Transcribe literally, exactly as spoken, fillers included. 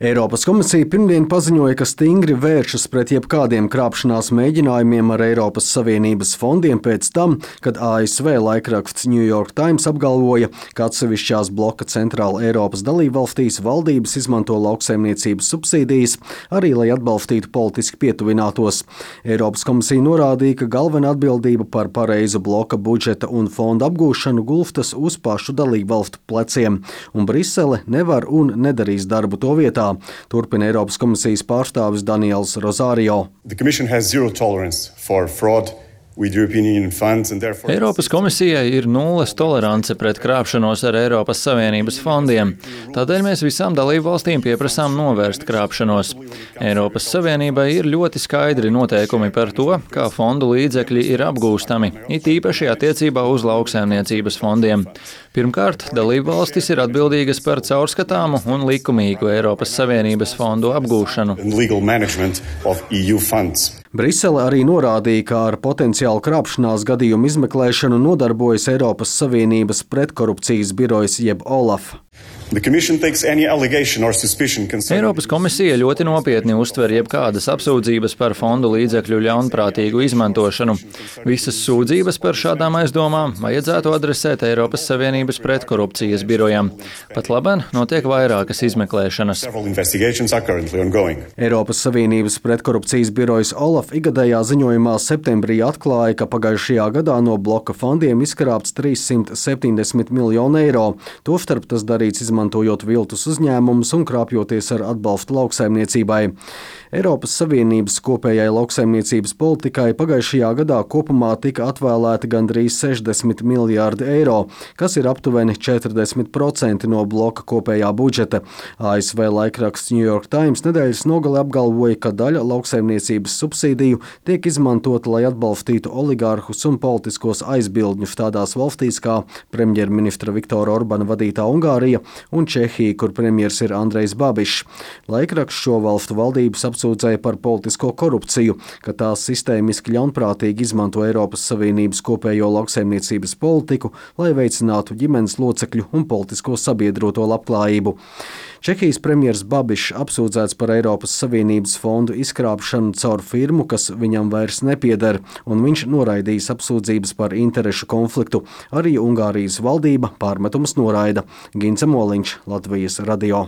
Eiropas komisija pirmdien paziņoja, ka stingri vēršas pret jebkādiem krāpšanās mēģinājumiem ar Eiropas Savienības fondiem pēc tam, kad A S V laikraksts New York Times apgalvoja, ka atsevišķās bloka Centrāla Eiropas dalībvalstīs valdības izmanto lauksaimniecības subsīdijas arī, lai atbalstītu politiski pietuvinātos. Eiropas komisija norādīja, ka galvenā atbildība par pareizu bloka budžeta un fonda apgūšanu gulstas uz pašu dalībvalstu pleciem, un Brisele nevar un nedarīs darbu to vietā. Turpina Eiropas komisijas pārstāvis Daniels Rosario. Eiropas komisijai ir nulles tolerance pret krāpšanos ar Eiropas Savienības fondiem. Tādēļ mēs visām dalību valstīm pieprasām novērst krāpšanos. Eiropas Savienībai ir ļoti skaidri noteikumi par to, kā fondu līdzekļi ir apgūstami, it īpaši attiecībā uz lauksaimniecības fondiem. Pirmkārt, dalību valstis ir atbildīgas par caurskatāmu un likumīgu Eiropas Savienības fondu apgūšanu. Brisele arī norādīja, ka ar potenciālu krāpšanās gadījumu izmeklēšanu nodarbojas Eiropas Savienības pretkorupcijas birojas jeb OLAF. Eiropas komisija ļoti nopietni uztver jebkādas apsūdzības par fondu līdzekļu ļaunprātīgu izmantošanu. Visas sūdzības par šādām aizdomām vajadzētu adresēt Eiropas Savienības pretkorupcijas birojam. Pat labāk notiek vairākas izmeklēšanas. Eiropas Savienības pretkorupcijas birojas OLAF ikgadējā ziņojumā septembrī atklāja, ka pagājušajā gadā no bloka fondiem izkrāpts trīssimt septiņdesmit miljonu eiro. Tostarp tas darīts izmantojot izmantojot viltus uzņēmumus un krāpjoties ar atbalstu lauksaimniecībai. Eiropas Savienības kopējai lauksaimniecības politikai pagājušajā gadā kopumā tika atvēlēti gandrīz sešdesmit miljārdi eiro, kas ir aptuveni četrdesmit procenti no bloka kopējā budžeta. A S V laikraksts New York Times nedēļas nogalē apgalvoja, ka daļa lauksaimniecības subsīdiju tiek izmantota, lai atbalstītu oligārhus un politiskos aizbildņus tādās valstīs kā premjerministra Viktora Orbana vadītā Ungārija un Čehija, kur premjers ir Andrejs Babišs. Laikraksts šo valstu valdības apsūdzēja par politisko korupciju, ka tās sistēmiski ļaunprātīgi izmanto Eiropas Savienības kopējo lauksaimniecības politiku, lai veicinātu ģimenes locekļu un politisko sabiedroto labklājību. Čehijas premjers Babišs apsūdzēts par Eiropas Savienības fondu izkrāpšanu caur firmu, kas viņam vairs nepieder, un viņš noraidījis apsūdzības par interešu konfliktu. Arī Ungārijas valdība pārmetumus noraida. Gince Moliņš, Latvijas radio.